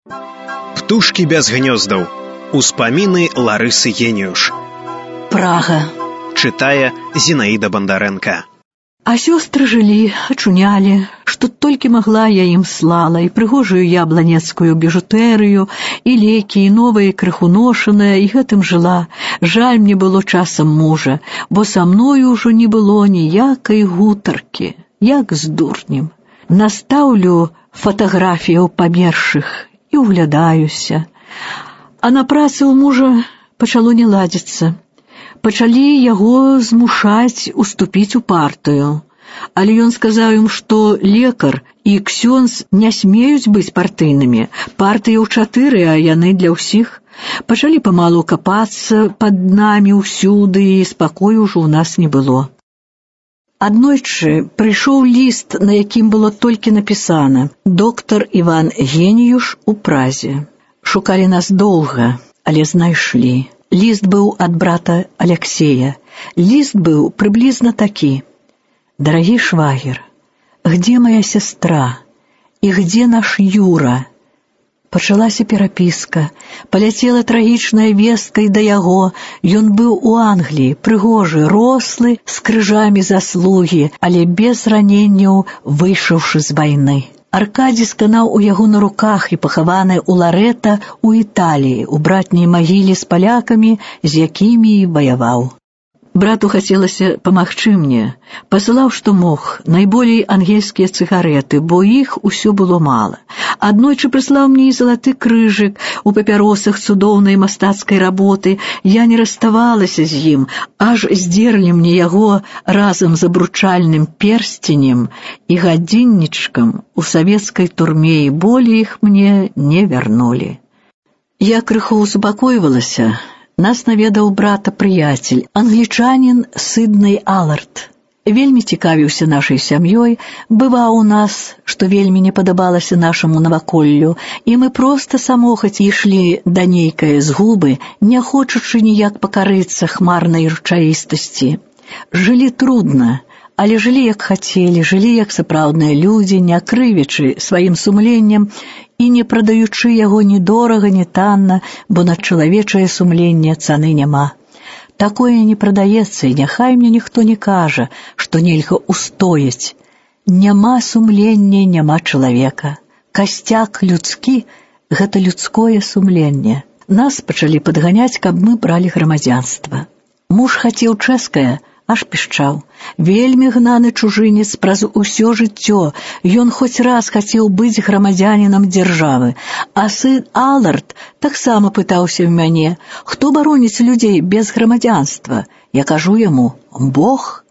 Птушкі без гнёздаў. Успаміны Ларысы Геніюш. Прага. Чытае Зінаіда Бандарэнка. А сёстры жылі, ачунялі, што толькі магла я ім слала, і прыгожую ябланецкую біжутэрыю, і лекі, і новае крыху ношанае, і гэтым жыла. Жаль мне было часам мужа, бо са мною ўжо не было ніякай гутаркі, як з дурнем. Настаўлю фатаграфіяў памершых і углядаюся. А на працы ў мужа пачало не ладзіцца. Пачалі яго змушаць уступіць у партыю. Але ён сказаў ім, што лекар і ксёндз не смеюць быць партыйнымі. Партыя ў 4, а яны для ўсіх. Пачалі памалу капацца пад намі ўсюды, і спакою ўжо ў нас не было. Аднойчы прыйшоў ліст, на якім было толькі напісана: «Доктар Іван Геніюш у Празе». Шукалі нас доўга, але знайшлі. Ліст быў ад брата Алексея. Ліст быў прыблізна такі: «Дорогий швагер, где моя сестра? И где наш Юра?» Пачалася перапіска. Паляцела трагічная вестка і да яго. Ён быў у Англіі, прыгожы, рослы, з крыжамі заслугі, але без раненняў, выйшаўшы з вайны. Аркадзій сканаў у яго на руках і пахаваны ў Ларэта у Італіі, у братняй магіле з палякамі, з якімі і ваяваў. Брату хацелася памагчы мне. Пасылаў, што мог, найболей ангельскія цыгарэты, бо іх усё было мала. Аднойчы прыслаў мне і залаты крыжык у папяросах цудоўнай мастацкай работы. Я не расставалася з ім, аж здзерлі мне яго разам з абручальным персценем і гадзіннічкам у савецкай турме, і болей іх мне не вярнулі. Я крыху супакойвалася. Нас наведаў брата прыяцель, англічанін Сідней Аллард. Вельмі цікавіўся нашай сям'ёй, бываў у нас, што вельмі не падабалася нашаму наваколлю, і мы проста самохаць ішлі да нейкае згубы, не хочучы ніяк пакарыцца хмарнай рэчаістасці. Жылі трудна, але жылі як хацелі, жылі як сапраўдныя людзі, не крывячы сваім сумленнем і не прадаючы яго ні дорага, ні танна, бо на чалавечае сумленне цаны няма. Такое не прадаецца, і няхай мне ніхто не кажа, што нельга устояць. Няма сумлення, няма чалавека. Касцяк людскі – гэта людское сумленне. Нас пачалі падганяць, каб мы бралі грамадзянства. Муж хацеў чэшскае, аж пішчаў. Вельмі гнаны чужынец праз усё жыццё. Ён хоць раз хацеў быць грамадзянінам дзяржавы. А сын Аллард таксама пытаўся ў мяне: «Хто бароніць людзей без грамадзянства?» Я кажу яму: «Бог».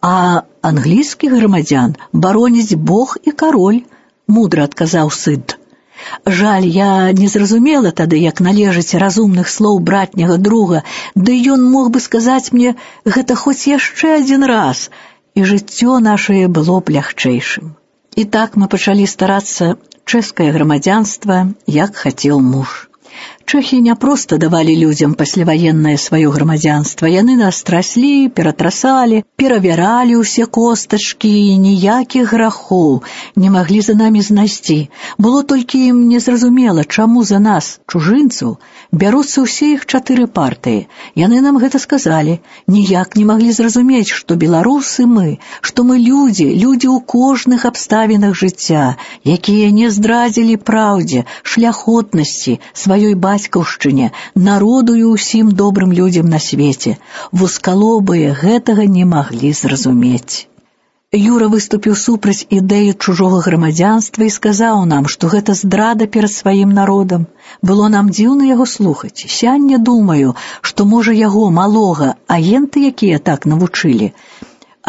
«А англійскіх грамадзян бароніць Бог і кароль», мудра адказаў Сід. Жаль, я не зразумела тады, як належыць разумных слоў братняга друга, ды ён мог бы сказаць мне гэта хоць яшчэ адзін раз, і жыццё нашае было б лягчэйшым. І так мы пачалі старацца чэшскае грамадзянства, як хацеў муж. Чэхі не проста давалі людзям пасляваеннае сваё грамадзянства. Яны нас траслі, ператрасалі, перавяралі ўсе костачкі, і ніякіх грахоў не маглі за намі знайсці. Было толькі ім незразумела, чаму за нас, чужынцаў, бяруцца ўсе іх 4 партыі. Яны нам гэта сказалі. Ніяк не маглі зразумець, што беларусы мы, што мы людзі ў кожных абставінах жыцця, якія не здрадзілі праўдзе, шляхотнасці, сваёй бацькаўшчыне, народу і ўсім добрым людзям на свеце. Вузкалобыя гэтага не маглі зразумець. Юра выступіў супраць ідэі чужога грамадзянства і сказаў нам, што гэта здрада перад сваім народам. Было нам дзіўна яго слухаць. Сяння думаю, што, можа, яго, малога, агенты якія так навучылі.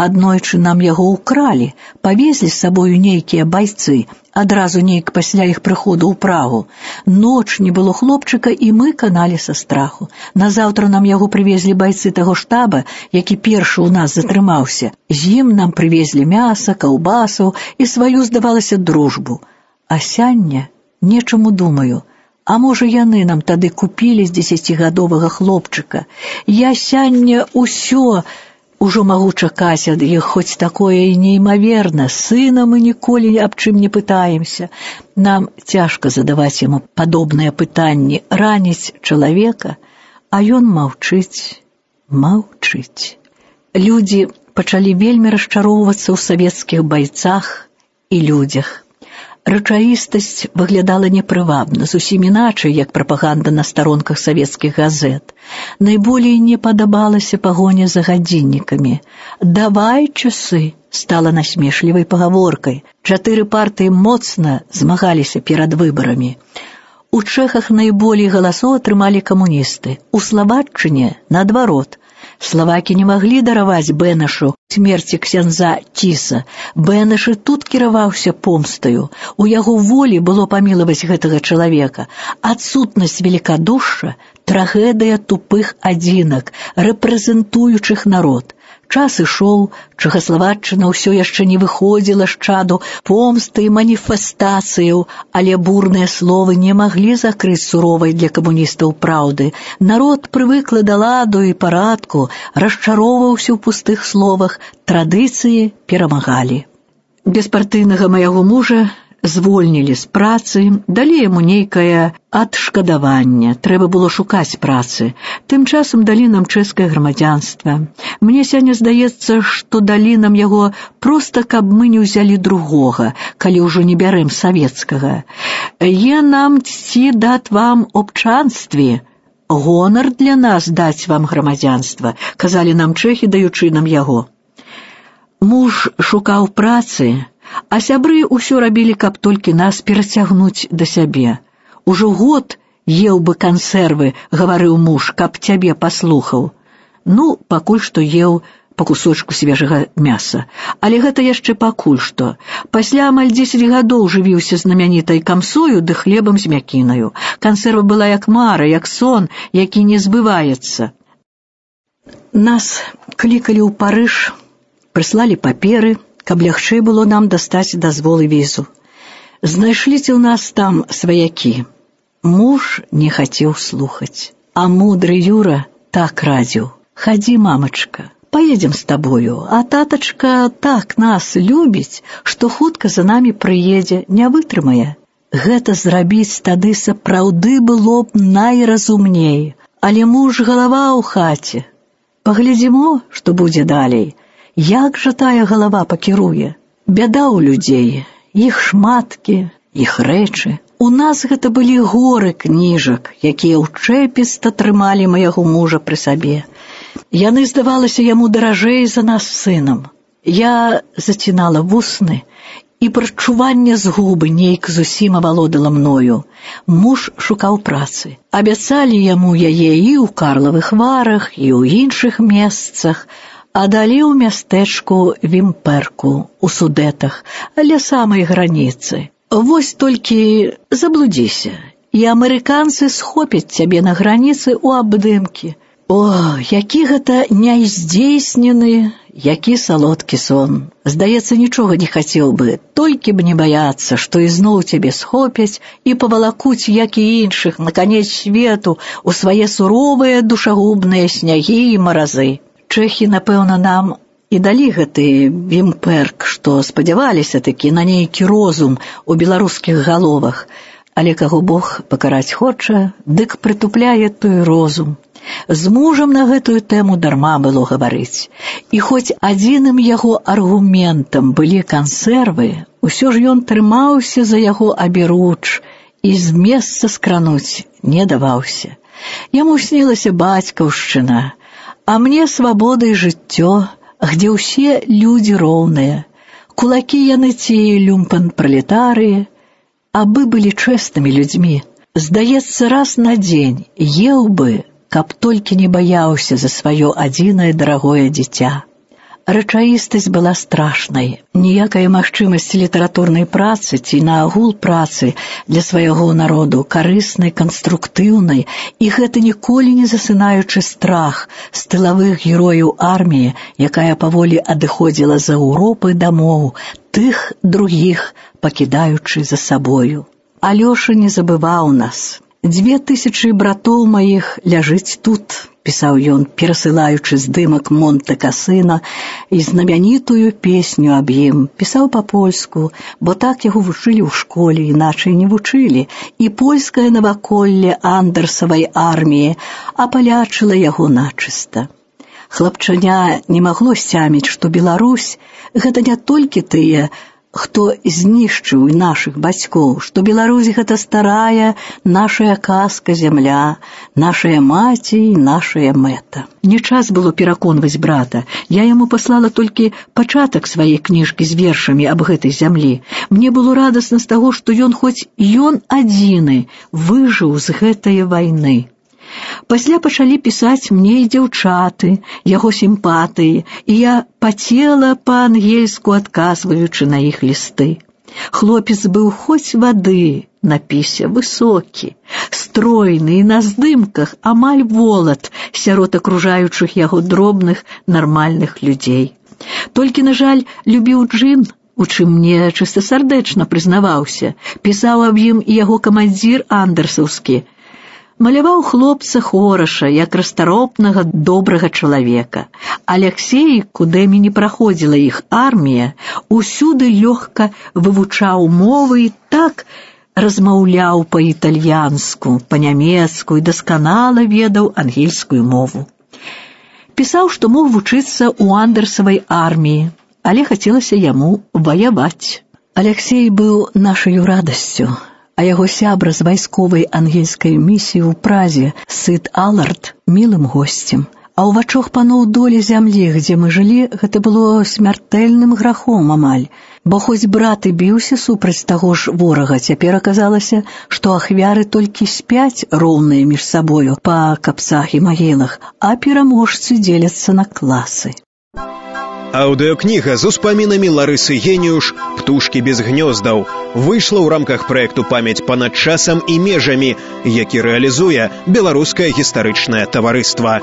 Аднойчы нам яго ўкралі, павезлі з сабою нейкія байцы, адразу нейк пасля іх прыходу ў Прагу. Ноч не было хлопчыка, і мы каналі са страху. Назаўтра нам яго прывезлі байцы таго штаба, які першы ў нас затрымаўся. З ім нам прывезлі мяса, каўбасаў і сваю, здавалася, дружбу. А сяння нечаму думаю, а можа, яны нам тады купілі з 10-гадовага хлопчыка. Я сяння ўсё Ужо магу чакаць ад іх хоць такое і неймаверна. Сына мы ніколі аб чым не пытаемся. Нам цяжка задаваць яму падобныя пытанні, раніць чалавека, а ён маўчыць. Людзі пачалі вельмі расчароўвацца ў савецкіх байцах і людзях. Рэчаістасць выглядала непрывабна, зусім іначай, як прапаганда на старонках савецкіх газет. Найболей не падабалася пагоня за гадзіннікамі. «Давай часы» стала насмешлівай пагаворкай. 4 партыі моцна змагаліся перад выбарамі. У Чэхах найболей галасоў атрымалі камуністы. У Славаччыне наадварот. Славакі не маглі дараваць Бэнешу смерці ксяндза Тіса. Бэнеш і тут кіраваўся помстаю. У яго волі было памілаваць гэтага чалавека. Адсутнасць велікадушша – трагедыя тупых адзінак, рэпрэзентуючых народ. Час ішоў, Чэхаславаччына ўсё яшчэ не выходзіла з чаду помсты і маніфестацыяў, але бурныя словы не маглі закрыць суровай для камуністаў праўды. Народ прывык да ладу і парадку, расчароўваўся ў пустых словах, традыцыі перамагалі. Беспартыйнага майго мужа звольнілі з працы, далі яму нейкае адшкадаванне. Трэба было шукаць працы. Тым часам далі нам чэшскае грамадзянства. Мне сёння здаецца, што далі нам яго проста, каб мы не ўзялі другога, калі ўжо не бярэм савецкага. «Е нам ці дат вам обчанстві. Гонар для нас даць вам грамадзянства», казалі нам чэхі, даючы нам яго. Муж шукаў працы, а сябры ўсё рабілі, каб толькі нас перацягнуць да сябе. «Ужо год еў бы кансервы», — гаварыў муж, «каб цябе паслухаў». Ну, пакуль што еў па кусочку свежага мяса. Але гэта яшчэ пакуль што. Пасля амаль 10 гадоў жывіўся знамянітай камсою ды хлебам з мякінаю. Кансерва была як мара, як сон, які не збываецца. Нас клікалі ў Парыж, прыслалі паперы, каб лягчэй было нам дастаць дазвол і візу. Знайшліся ў нас там сваякі. Муж не хацеў слухаць, а мудры Юра так радзіў: «Хадзі, мамачка, поедем з табою, а татачка так нас любіць, што хутка за намі прыедзе, не вытрымае». Гэта зрабіць тады сапраўды было б найразумней, але муж галава ў хаце. Паглядзімо, што будзе далей. Як жа тая галава пакіруе? Бяда ў людзей, іх шматкі, іх рэчы. У нас гэта былі горы кніжак, якія ўчэпіста трымалі майго мужа пры сабе. Яны, здавалася, яму даражэй за нас з сынам. Я зацінала вусны, і прачуванне згубы нейк зусім авалодала мною. Муж шукаў працы. Абяцалі яму яе і ў Карлавых Варах, і ў іншых месцах, а далі ў мястэчку Вімперку, у Судэтах, ля самай граніцы. Вось толькі заблудзіся, і амерыканцы схопяць цябе на граніцы ў абдымкі. О, які гэта няздзейснены, які салодкі сон. Здаецца, нічога не хацеў бы, толькі б не баяцца, што ізноў цябе схопяць і павалакуць, як і іншых, на канец свету, у свае суровыя душагубныя снягі і маразы. Чэхі, напэўна, нам і далі гэты Вімперк, што спадзяваліся такі на нейкі розум у беларускіх галовах. Але каго Бог пакараць хоча, дык прытупляе той розум. З мужам на гэтую тэму дарма было гаварыць. І хоць адзіным яго аргументам былі кансервы, усё ж ён трымаўся за яго аберуч і з месца скрануць не даваўся. Яму снілася бацькаўшчына, а мне свабода і жыццё, где ўсе людзі роўныя. Кулакі яны ці люмпен-пралетарыі, абы былі чэснымі людзьмі. Здаецца, раз на дзень еў бы, каб толькі не баяўся за сваё адзінае дарагое дзіця. Рэчаістасць была страшнай. Ніякая магчымасць літаратурнай працы ці наагул працы для свайго народу, карыснай, канструктыўнай, і гэта ніколі не засынаючы страх з тылавых герояў арміі, якая паволі адыходзіла з Еўропы дамоў, тых другіх пакідаючы за сабою. Алёша не забываў нас. 2000 братоў маіх ляжыць тут, пісаў ён, перасылаючы здымак Монте-Касіно і знамянітую песню аб ім. Пісаў па-польску, бо так яго вучылі ў школе, іначай не вучылі, і польскае наваколле андэрсавай арміі апалячыла яго начыста. Хлапчаня не магло сцяміць, што Беларусь – гэта не толькі тыя, хто знішчыў нашых бацькоў, што Беларусь – гэта старая нашая казка зямля, нашая маці і нашая мэта. Не час было пераконваць брата. Я яму паслала толькі пачатак сваёй кніжкі з вершамі аб гэтай зямлі. Мне было радасна з таго, што ён хоць ён адзіны выжыў з гэтай вайны. Пасля пачалі пісаць мне і дзяўчаты, яго сімпатыі, і я пацела па-ангельску, адказваючы на іх лісты. Хлопец быў хоць вады на пісе, высокі, стройны і на здымках амаль волат сярод акружаючых яго дробных, нармальных людзей. Толькі, на жаль, любіў джын, у чым мне чыстасардэчна прызнаваўся, пісаў аб ім і яго камандзір андэрсаўскі. Маляваў хлопца хораша, як расторопнага, добрага чалавека. Аляксей, куды не праходзіла іх армія, усюды лёгка вывучаў мовы і так размаўляў па-італьянску, па-нямецку і дасканала ведаў ангельскую мову. Пісаў, што мог вучыцца ў андэрсавай арміі, але хацелася яму ваяваць. Аляксей быў нашаю радасцю, а яго сябра з вайсковай ангельскай місіі ў Празе, Сыд Алард, мілым госцем. А ў вачах паноў долі зямлі, дзе мы жылі, гэта было смяртэльным грахом амаль. Бо хоць брат і біўся супраць таго ж ворага, цяпер аказалася, што ахвяры толькі спяць роўныя між сабою па капцах і магілах, а пераможцы дзеляцца на класы. Аўдыёкніга з успамінамі Ларысы Геніюш «Птушкі без гнёздаў» выйшла ў рамках праекту «Памяць панад часам і межамі», які рэалізуе Беларускае гістарычнае таварыства.